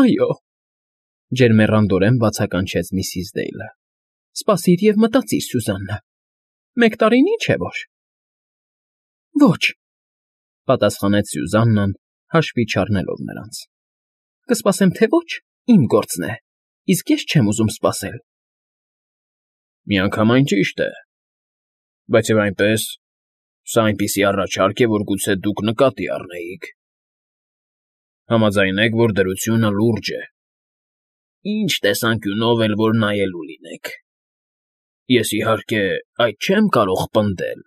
Այո, ջերմեռանդորեն բացականչեց միսիս Դեյլը։ Սպասիր և մտածիր, Սյուզաննա, 1 տարին ինչ է որ։ Ոչ, պատասխանեց Սյուզաննան, հաշվի չառնելով նրանց։ Կսպասեմ թե ոչ, իմ գործն է, իսկ ես չեմ ուզում սպասել։ Միանգամայն ճիշտ է, բայց և այնպես, սա այնպիսի առաջարկ է, որ գուցե դուք նկատի առնեիք։ Համաձայնեք, որ դրությունը լուրջ է։ Ինչ տեսանկյունով էլ որ նայելու լինեք։ Ես, իհարկե, այդ չեմ կարող պնդել,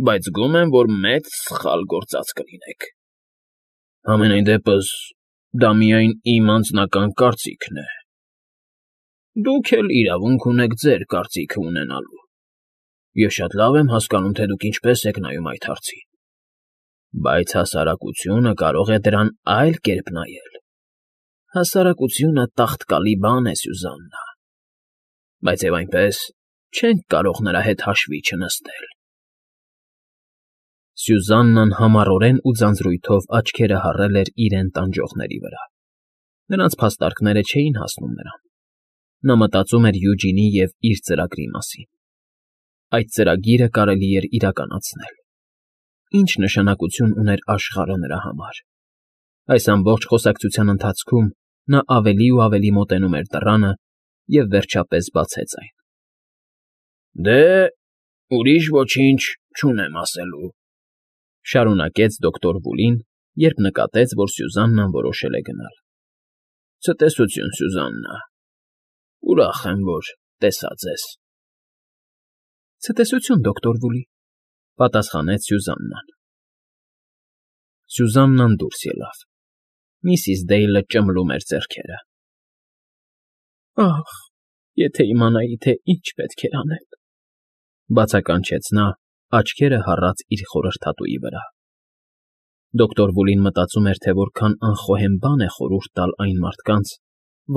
բայց զգում եմ, որ մեծ սխալ գործած կլինեք։ Համենայն դեպս, դա միայն իմ անձնական կարծիքն է։ Դուք էլ իրավունք ունեք ձեր կարծիքը ունենալու։ Ես շատ լավ եմ հասկանում, թե դուք ինչպես եք նայում այդ հարցին, բայց հասարակությունը կարող է դրան այլ կերպ նայել։ Հասարակությունը տաղտկալի բան է, Սյուզաննա, բայց և այնպես չենք կարող նրա հետ հաշվի չնստել։ Սյուզաննան համառորեն ու ձանձրույթով աչքերը հառել էր իրեն տանջողների վրա։ Նրանց փաստարկները չէին հասնում նրան։ Նա մտածում էր Յուջինի և իր ծրագրի մասին։ Այդ ծրագիրը կարելի էր իրականացնել։ Ինչ նշանակություն ուներ աշխարհը նրա համար։ Այս ամբողջ խոսակցության ընթացքում նա ավելի ու ավելի մոտենում էր դռանը և վերջապես բացեց այն։ Դե, ուրիշ ոչինչ չունեմ ասելու, շարունակեց դոկտոր Վուլին, երբ նկատեց, որ Սյուզաննան որոշել է գնալ։ Ցտեսություն, Սյուզաննա, ուրախ եմ, որ տեսա ձեզ։ Ցտեսություն, դոկտոր Վուլի, պատասխանեց Սյուզաննան։ Սյուզաննան դուրս ելավ։ Միսիս Դեյլը ճմլում էր ձեռքերը։ Ախ, եթե իմանայի, թե ինչ պետք էր անել, բացականչեց նա, աչքերը հառած իր խորհրդատուի վրա։ Դոկտոր Վուլին մտածում էր, թե որքան անխոհեմ բան է խորհուրդ տալ այն մարդկանց,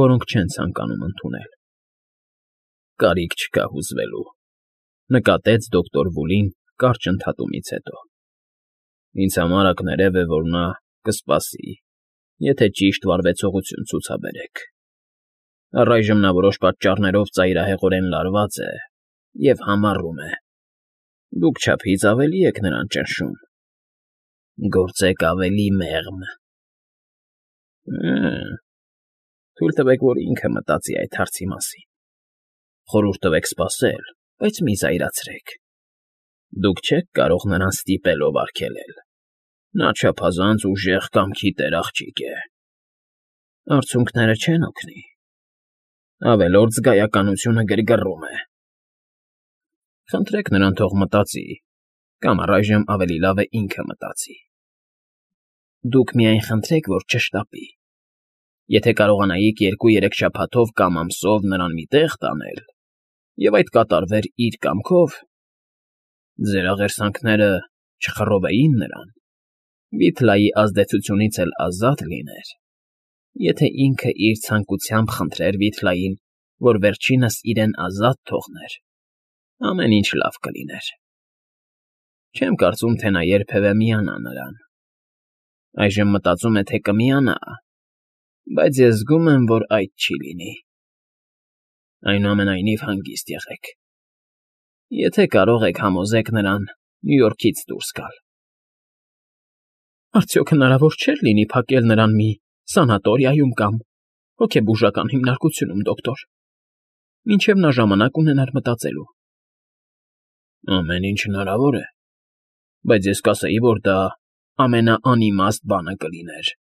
որոնք չեն ցանկանում ընդունել։ Կարիք չկա հուզվելու, նկատեց դոկտոր Վուլին կարճ ընդհատումից հետո։ Ինձ համար ակներև է, որ նա կսպասի, եթե ճիշտ վարվեցողություն ցուցաբերեք։ Առայժմ նա որոշ պատճառներով ծայրահեղորեն լարված է և համառում է։ Դուք չափից ավելի եք նրան ճնշում։ Գործեք ավելի մեղմ։ Թույլ տվեք, որ ինքը մտածի այդ հարցի մասին։ Խորհուրդ տվեք սպասել, բայց մի զայրացրեք։ Դուք չեք կարող նրան ստիպելով արգելել։ Նա չափազանց ուժեղ կամքի տեր աղջիկ է։ Արցունքները չեն օգնի։ Ավելորդ զգայականությունը գրգռում է։ Խնդրեք նրան թող մտածի, կամ առայժմ ավելի լավ է ինքը մտածի։ Դուք միայն խնդրեք, որ չշտապի։ Եթե կարողանայիք 2-3 շաբաթով կամ ամսով նրան մի տեղ տանել, և այդ կատարվեր իր կամքով, ձեր աղերսանքները չխռովեին նրան, Վիթլայի ազդեցությունից էլ ազատ լիներ, եթե ինքը իր ցանկությամբ խնդրեր Վիթլային, որ վերջինս իրեն ազատ թողներ, ամեն ինչ լավ կլիներ։ Չեմ կարծում, թե նա երբևէ միանա նրան։ Այժմ մտածում է, թե կմիանա, բայց ես զգում եմ, որ այդ չի լինի։ Այնուամենայնիվ հանգիստ եղեք։ Եթե կարող եք, համոզեք նրան Նյու Յորքից դուրս գալ։ Արդյոք հնարավոր չէր լինի փակել նրան մի սանատորիայում կամ հոգեբուժական հիմնարկությունում, դոկտոր, մինչև նա ժամանակ ունենար մտածելու։ Ամեն ինչ հնարավոր է, բայց ես կասեի, որ դա ամենաանիմաստ բանը կլիներ,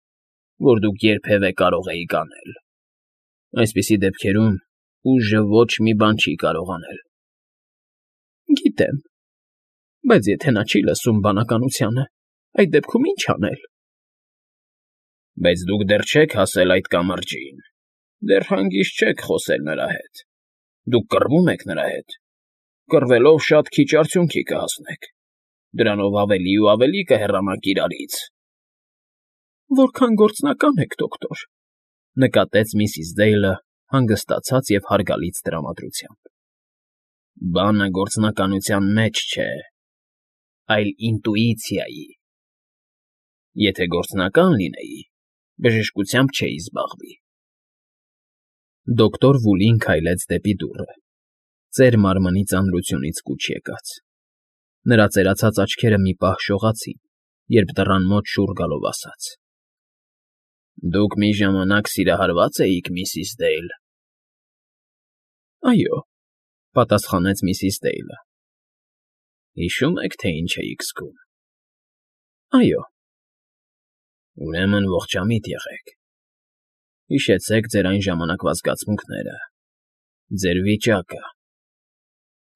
որ դուք երբևէ կարող էիք անել։ Այսպիսի դեպքերում ուժը ոչ մի բան չի կարող անել։ Գիտեմ, բայց եթե նա չի լսում բանականությանը, այդ դեպքում ինչ անել։ Բայց դուք դեռ չեք հասել այդ կամրջին, դեռ հանգիստ չեք խոսել նրա հետ։ Դուք կռվում եք նրա հետ։ Կռվելով շատ քիչ արդյունքի կհասնեք։ Դրանով ավելի ու ավելի կհեռանաք իրարից։ Որքան գործնական եք, դոկտոր, նկատեց միսիս Դեյլը հանգստացած և հարգալից տրամադրությամբ։ Բանը գործնականության մեջ չէ, այլ ինտուիցիայի։ Եթե գործնական լինեի, բժշկությամբ չէի զբաղվի։ Դոկտոր Վուլին քայլեց դեպի դուռը, ծեր մարմնի ծանրությունից կուչ եկած։ Նրա ծերացած աչքերը մի պահ շողացին, երբ դռան մոտ շուռ գալով ասաց. Դուք մի ժամանակ սիրահարվա՞ծ էիք, միսիս Դեյլ։ Այո, պատասխանեց միսիս Դեյլը։ Հիշո՞ւմ եք, թե ինչ էիք զգում։ Այո։ Ուրեմն ողջամիտ եղեք։ Հիշեցեք ձեր այն ժամանակվա զգացմունքները, ձեր վիճակը։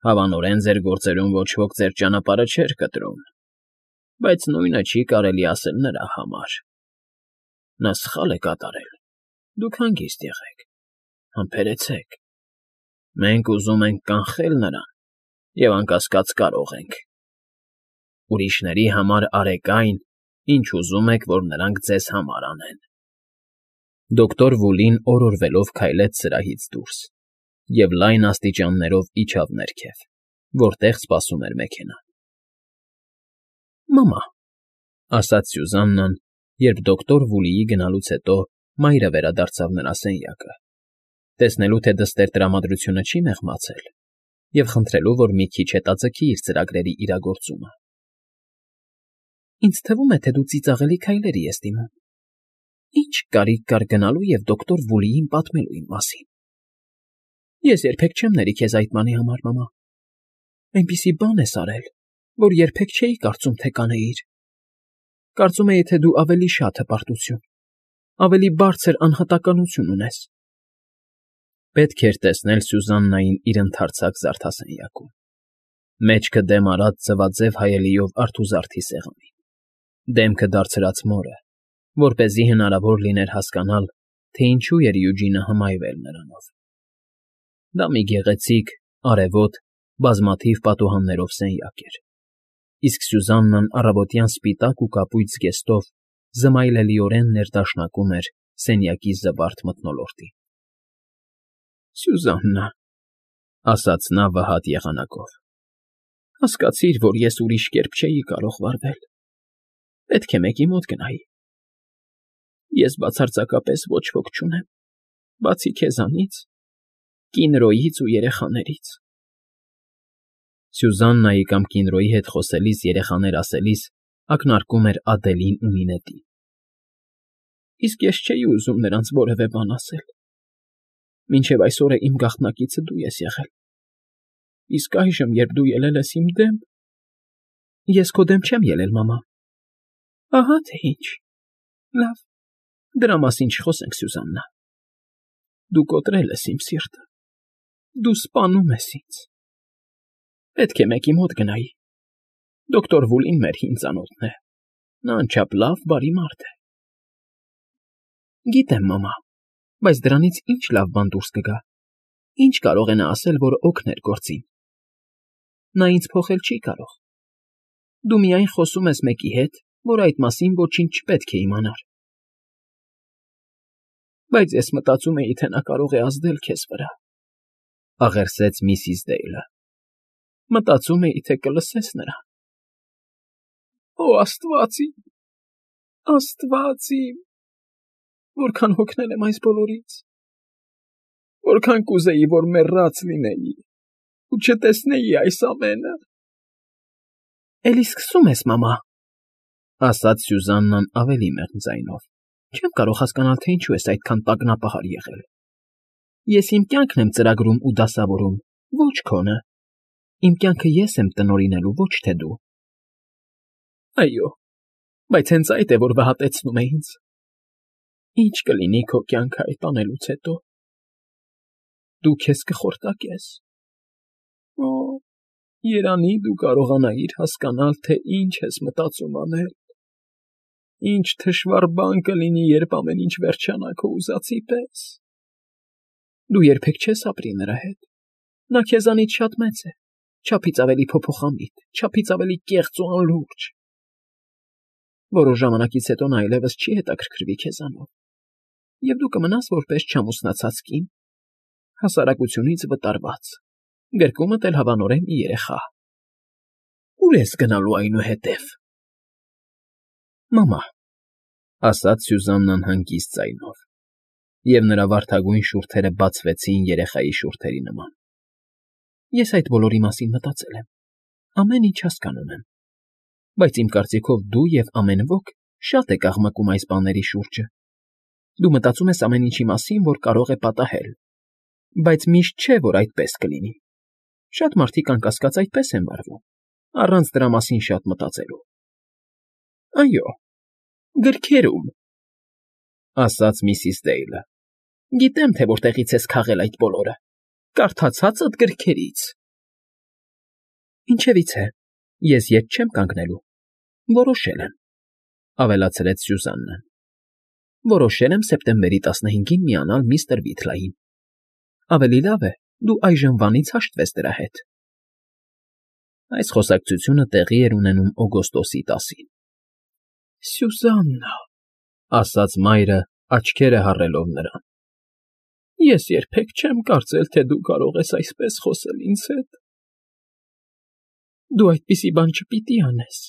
Հավանորեն ձեր գործերում ոչ ոք ձեր ճանապարհը չէր կտրում, բայց նույնը չի կարելի ասել նրա համար։ Նա սխալ է կատարել։ Դուք հանգիստ եղեք, համբերեցեք։ Մենք ուզում ենք կանխել նրան, և անկասկած կարող ենք։ Ուրիշների համար արեք այն, ինչ ուզում եք, որ նրանք ձեզ համար անեն։ Դոկտոր Վուլին օրորվելով քայլեց սրահից դուրս և լայն աստիճաններով իջավ ներքև, որտեղ սպասում էր մեքենան։ Մամա, ասաց Սյուզաննան, երբ դոկտոր Վուլիի գնալուց հետո մայրը վերադարձավ նրա սենյակը, տեսնելու, թե դստեր տրամադրությունը չի մեղմացել, և խնդրելու, որ մի քիչ հետաձգի իր ծրագրերի իրագործումը։ Ինձ թվում է, թե դու ծիծաղելի քայլերի ես դիմում։ Ինչ կարիք կար գնալու և դոկտոր Վուլիին պատմելու իմ մասին։ Ես երբեք չեմ ների քեզ այդ բանի համար, մամա։ Այնպիսի բան ես արել, որ երբեք չէի կարծում, թե կանեիր։ Կարծում էի, թե դու ավելի շատ հպարտություն, ավելի բարձր անհատականություն ունես։ Պետք էր տեսնել Սյուզաննային իր ընդարձակ զարդասենյակում, մեջքը դեմ արած ձվաձև հայելիով արթուզարդի սեղանին, դեմքը դարձրած մորը, որպեսզի հնարավոր լիներ հասկանալ, թե ինչու էր Յուջինը հմայվել նրանով։ Դա մի գեղեցիկ, արևոտ, բազմաթիվ պատուհաններով սենյակ էր, իսկ Սյուզաննան առավոտյան սպիտակ ու կապույտ զգեստով զմայլելիորեն ներդաշնակում էր սենյակի զվարթ մթնոլորտին։ Սյուզաննա, ասաց նա վհատ եղանակով, հասկացիր, որ ես ուրիշ կերպ չէի կարող վարվել։ Պետք է մեկի մոտ գնայի։ Ես բացարձակապես ոչ ոք չունեմ, բացի քեզանից, Կինրոյից ու երեխաներից։ Սյուզաննայի կամ Կինրոյի հետ խոսելիս երեխաներ ասելիս ակնարկում էր Ադելին ու Նինետին։ Իսկ ես չէի ուզում նրանց որևէ բան ասել։ Մինչև այսօր իմ գաղտնիքիցը դու ես եղել։ Իսկ այժմ, երբ դու ելել ես իմ դեմ… Ես քո դեմ չեմ ելել, մամա։ Ահա թե ինչ։ Լավ, դրա մասին չխոսենք, Սյուզաննա։ Դու կոտրել ես իմ սիրտը։ Դու սպանում ես ինձ։ Պետք է մեկի մոտ գնայի։ Դոկտոր Վուլին մեր հին ծանոթն է։ Նա անչափ լավ, բարի մարդ է։ Գիտեմ, մամա, բայց դրանից ինչ լավ բան դուրս կգա։ Ինչ կարող է նա ասել, որ օգներ գործին։ Նա ինձ փոխել չի կարող։ Դու միայն խոսում ես մեկի հետ, որ այդ մասին ոչինչ չպետք է իմանար։ Բայց ես մտածում էի, թե նա կարող է ազդել քեզ վրա, աղերսեց միսիս Դեյլը։ Մտածում էի, թե կլսես նրան։ Օ, Աստված իմ, Աստված իմ, որքան հոգնել եմ այս բոլորից, որքան կուզեի, որ մեռած լինեի ու չտեսնեի այս ամենը։ Էլի սկսում ես, մամա, ասաց Սյուզաննան ավելի մեղմ ձայնով։ Չեմ կարող հասկանալ, թե ինչու ես այդքան տագնապահար եղել։ Ես իմ կյանքն եմ ծրագրում ու դասավորում, ոչ քոնը։ Իմ կյանքը ես եմ տնօրինելու, ոչ թե դու։ Այո, բայց հենց այդ է, որ վհատեցնում է ինձ։ Ինչ կլինի քո կյանքը այդ անելուց հետո։ Դու քեզ կխորտակես։ Օ, երանի դու կարողանայիր հասկանալ, թե ինչ ես մտածում անել։ Ինչ թշվառ բան կլինի, երբ ամեն ինչ վերջանա քո ուզածի պես։ Դու երբեք չես ապրի նրա հետ։ Նա քեզանից շատ մեծ է, չափից ավելի փոփոխամիտ, չափից ավելի կեղծ ու անլուրջ։ Որոշ ժամանակից հետո նա այլևս չի հետաքրքրվի քեզանով, և դու կմնաս որպես չամուսնացած կին, հասարակությունից վտարված, գրկումդ էլ հավանորեն մի երեխա։ Ուր ես գնալու այնուհետև։ Մամա, ասաց Սյուզաննան հանգիստ ձայնով, և նրա վարդագույն շուրթերը բացվեցին երեխայի շուրթերի նման։ Ես այդ բոլորի մասին մտածել եմ, ամեն ինչ հասկանում եմ, բայց իմ կարծիքով դու և ամեն ոք շատ եք աղմկում այս բաների շուրջը։ Դու մտածում ես ամեն ինչի մասին, որ կարող է պատահել, բայց միշտ չէ, որ այդպես կլինի։ Շատ մարդիկ, անկասկած, այդպես են վարվում, առանց դրա մասին շատ մտածելու։ Այո, գրքերում, ասաց միսիս Դեյլը։ Գիտեմ, թե որտեղից ես քաղել այդ բոլորը, կարդացածդ գրքերից։ Ինչևիցե, ես ետ չեմ կանգնելու, որոշել եմ, ավելացրեց Սյուզաննան։ Որոշել եմ սեպտեմբերի 15-ին միանալ միստր Վիթլային։ Ավելի լավ է, դու այժմվանից հաշտվես դրա հետ։ Այս խոսակցությունը տեղի էր ունենում օգոստոսի 10-ին։ Սյուզաննա, ասաց մայրը, աչքերը հառելով նրան։ Ես երբեք չեմ կարծել, թե դու կարող ես այսպես խոսել ինձ հետ։ Դու այդպիսի բան չպիտի անես։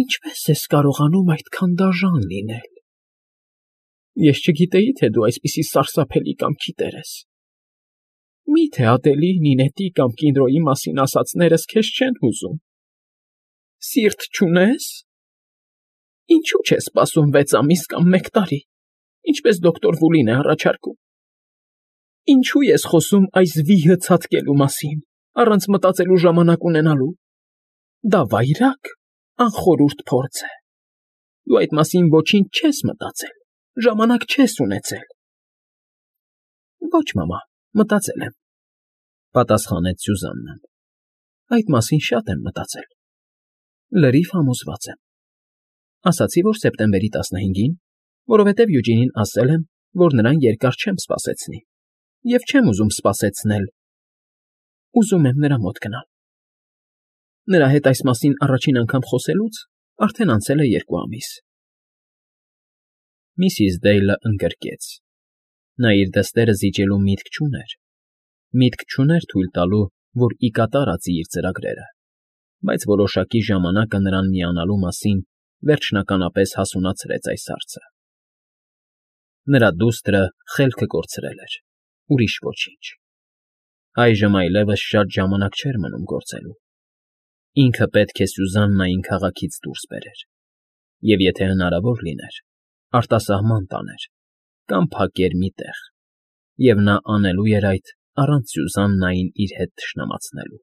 Ինչպե՞ս ես կարողանում այդքան դաժան լինել։ Ես չգիտեի, թե դու այսպիսի սարսափելի կամքի տեր ես։ Մի՞թե ատելի Նինետի կամ Կինդրոյի մասին ասածներս քեզ չեն հուզում։ Սիրտ չունե՞ս։ Ինչու՞ չես սպասում 6 ամիս կամ 1 տարի, ինչպես դոկտոր Վուլին է առաջարկում։ Ինչու ես խոսում այս վիհը ցատկելու մասին, առանց մտածելու ժամանակ ունենալու։ Դա վայրակ, անխորհուրդ փորձ է։ Դու այդ մասին ոչինչ չես մտածել, ժամանակ չես ունեցել։ Ոչ, մամա, մտածել եմ, պատասխանեց Սյուզաննան։ Այդ մասին շատ եմ մտածել։ Լրիվ համոզված եմ։ Ասացի, որ սեպտեմբերի 15-ին, որովհետև Յուջինին ասել եմ, որ նրան երկար չեմ սպասեցնի, և չեմ ուզում սպասեցնել։ Ուզում եմ նրա մոտ գնալ։ Նրա հետ այս մասին առաջին անգամ խոսելուց արդեն անցել է 2 ամիս։ Միսիս Դեյլը ընկրկեց։ Նա իր դստերը զիջելու միտք չուներ։ Միտք չուներ թույլ տալու, որ ի կատար ածի իր ծրագրերը, բայց որոշակի ժամանակը նրան միանալու մասին վերջնականապես հասունացրեց այս հարցը։ Նրա դուստրը խելքը կորցրել էր, ուրիշ ոչինչ։ Այժմ այլևս շատ ժամանակ չէր մնում գործելու։ Ինքը պետք է Սյուզաննային քաղաքից դուրս բերեր, և եթե հնարավոր լիներ, արտասահման տաներ կամ փակեր մի տեղ, և նա անելու էր այդ առանց Սյուզաննային իր հետ թշնամացնելու։